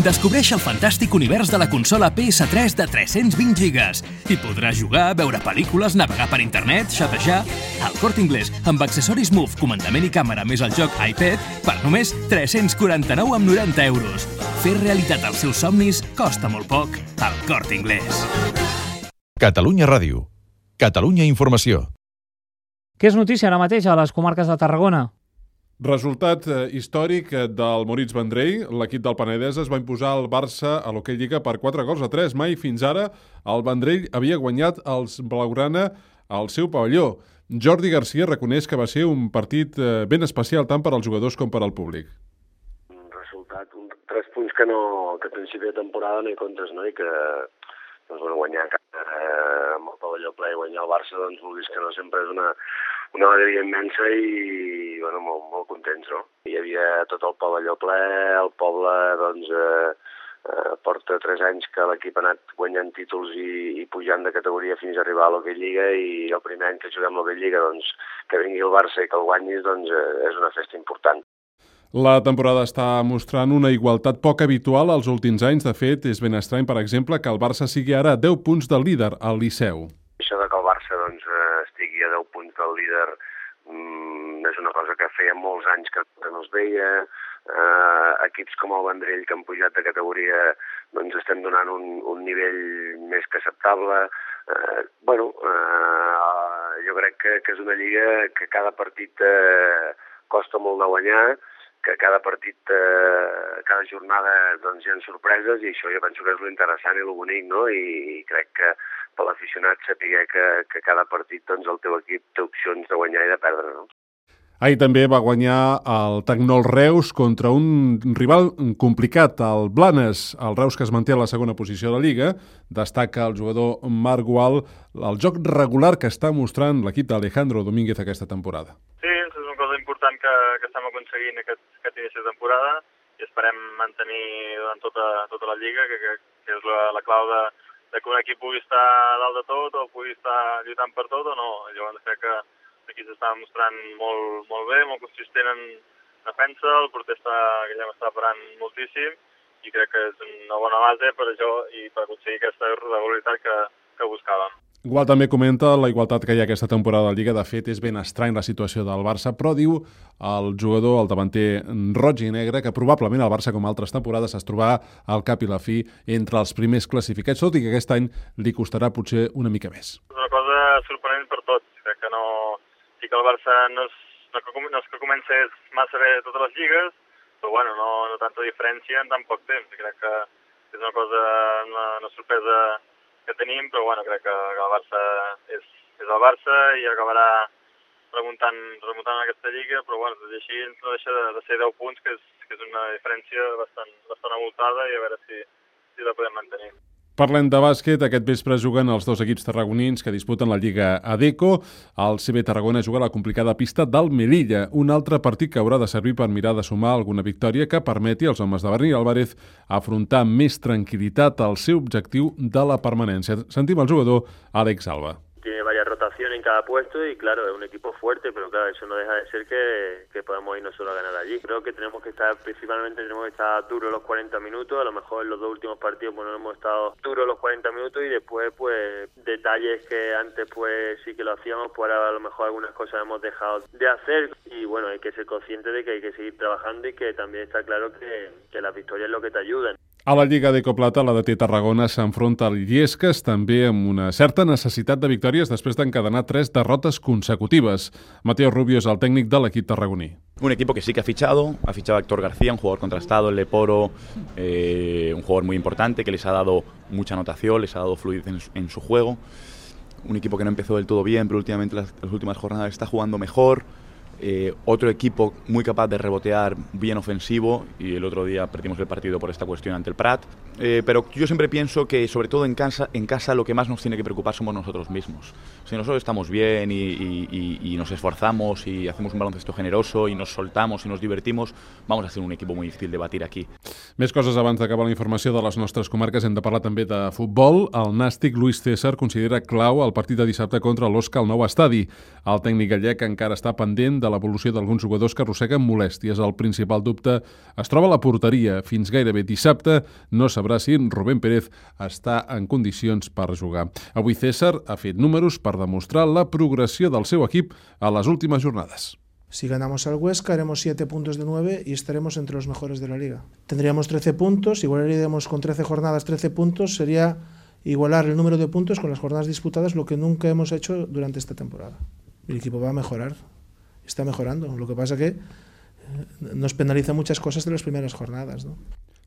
Descobreix el fantàstic univers de la consola PS3 de 320 gigas. Hi podràs jugar, veure pel·lícules, navegar per internet, xatejar... Al Corte Inglés, amb accessoris Move, comandament i càmera més el joc iPad, per només 349,90 €. Fer realitat els seus somnis costa molt poc. Al Corte Inglés. Catalunya Ràdio. Catalunya Informació. Què és notícia ara mateix a les comarques de Tarragona? Resultat històric del Moritz Vendrell. L'equip del Penedès es va imposar al Barça a l'Hockey Lliga per 4-3. Mai fins ara el Vendrell havia guanyat els blaugrana al seu pavelló. Jordi Garcia reconeix que va ser un partit ben especial tant per als jugadors com per al públic. Un resultat, 3 punts que a principi de temporada no hi comptes, no? I que guanyar amb el pavelló ple i guanyar el Barça, doncs vulguis que no, sempre és una alegria immensa i molt contents, no? Hi havia tot el pavelló ple, el poble porta 3 anys que l'equip ha anat guanyant títols i pujant de categoria fins a arribar a l'Hockey Lliga, i el primer any que juguem a l'Hockey Lliga, doncs, que vingui el Barça i que el guanyis, doncs és una festa important. La temporada està mostrant una igualtat poc habitual als últims anys. De fet, és ben estrany, per exemple, que el Barça sigui ara a 10 punts del líder, el Liceu. Això de que el Barça estigui a 10 punts del líder és una cosa que feia molts anys que no es veia. Equips com el Vendrell, que han pujat de categoria, doncs estem donant un nivell més que acceptable. Jo crec que és una lliga que cada partit costa molt de guanyar, que cada partit, cada jornada doncs, hi ha sorpreses, i això jo penso que és l'interessant i el bonic, no? I crec que per l'aficionat saber que cada partit doncs, el teu equip té opcions de guanyar i de perdre, no? Ahir també va guanyar el Tecnol Reus contra un rival complicat, el Blanes. El Reus, que es manté a la segona posició de la Lliga, destaca el jugador Marc Gual el joc regular que està mostrant l'equip d'Alejandro Domínguez aquesta temporada. Sí, és una cosa important que estem aconseguint aquest inici de temporada i esperem mantenir durant tota la Lliga, que és la clau de que un equip pugui estar a dalt de tot o pugui estar lluitant per tot o no. Llavors crec que aquí s'està mostrant molt bé, molt consistent en defensa, el porter que ja m'està parant moltíssim, i crec que és una bona base per això i per aconseguir aquesta regularitat que buscàvem. Gual també comenta la igualtat que hi ha aquesta temporada de la Lliga. De fet, és ben estrany la situació del Barça, però diu el jugador, el davanter roig i negre, que probablement el Barça, com altres temporades, es trobarà al cap i la fi entre els primers classificats, tot i que aquest any li costarà potser una mica més. És una cosa sorprenent per tots. Crec que sí que el Barça no és que comencés massa bé totes les lligues, però no tanta diferència en tan poc temps. Crec que és una cosa, una sorpresa que tenim, però crec que el Barça és el Barça i acabarà remuntant aquesta lliga, però tot i així no deixa de ser 10 punts, que és una diferència bastant avoltada, i a veure si la podem mantenir. Parlem de bàsquet. Aquest vespre juguen els 2 equips tarragonins que disputen la Lliga Adecco. El CB Tarragona juga a la complicada pista del Melilla, un altre partit que haurà de servir per mirar de sumar alguna victòria que permeti als homes de Berni Álvarez afrontar amb més tranquil·litat el seu objectiu de la permanència. Sentim el jugador Àlex Alba. Tiene varias rotaciones en cada puesto y claro, es un equipo fuerte, pero claro, eso no deja de ser que podamos ir nosotros a ganar allí. Creo que principalmente tenemos que estar duros los 40 minutos, a lo mejor en los 2 últimos partidos no hemos estado duros los 40 minutos y después pues detalles que antes pues sí que lo hacíamos, pues ahora a lo mejor algunas cosas hemos dejado de hacer y hay que ser consciente de que hay que seguir trabajando y que también está claro que las victorias es lo que te ayudan. A la Lliga Adecco Plata, la DT Tarragona s'enfronta al Illescas, també amb una certa necessitat de victòries després d'encadenar 3 derrotes consecutives. Mateo Rubio és el tècnic de l'equip tarragoní. Un equipo que sí que ha fichado a Héctor García, un jugador contrastado, el Leporo, un jugador muy importante que les ha dado mucha anotación, les ha dado fluidez en su juego. Un equipo que no empezó del todo bien, pero últimamente las últimas jornadas está jugando mejor. Otro equipo muy capaz de rebotear, bien ofensivo, y el otro día perdimos el partido por esta cuestión ante el Prat, pero yo siempre pienso que sobre todo en casa lo que más nos tiene que preocupar somos nosotros mismos. Si nosotros estamos bien y nos esforzamos y hacemos un baloncesto generoso y nos soltamos y nos divertimos, vamos a ser un equipo muy difícil de batir aquí. Més coses abans d'acabar la informació de les nostres comarques. Hem de parlar també de futbol. El nàstic Luis César considera clau el partit de dissabte contra l'Osca al nou estadi. El tècnic gallec encara està pendent de de l'evolució d'alguns jugadors que arrosseguen molèsties. El principal dubte es troba a la porteria. Fins gairebé dissabte no sabrà si Rubén Pérez està en condicions per jugar. Avui César ha fet números per demostrar la progressió del seu equip a les últimes jornades. Si ganamos al Huesca, haremos 7 puntos de 9 y estaremos entre los mejores de la liga. Tendríamos 13 puntos, igualaríamos con 13 jornadas 13 puntos, sería igualar el número de puntos con las jornadas disputadas, lo que nunca hemos hecho durante esta temporada. El equipo va a mejorar, está mejorando. Lo que pasa que nos penaliza muchas cosas de las primeras jornadas, ¿no?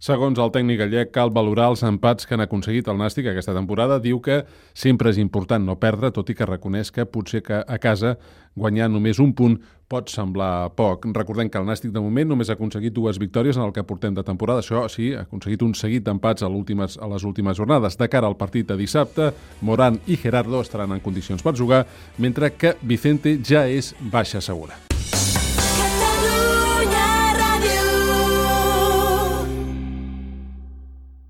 Segons el tècnic gallec, cal valorar els empats que han aconseguit el Nàstic aquesta temporada. Diu que sempre és important no perdre, tot i que reconeix que potser que a casa guanyar només un punt pot semblar poc. Recordem que el Nàstic de moment només ha aconseguit 2 victòries en el que portem de temporada. Això sí, ha aconseguit un seguit d'empats a les últimes jornades. De cara al partit de dissabte, Morán i Gerardo estaran en condicions per jugar, mentre que Vicente ja és baixa segura.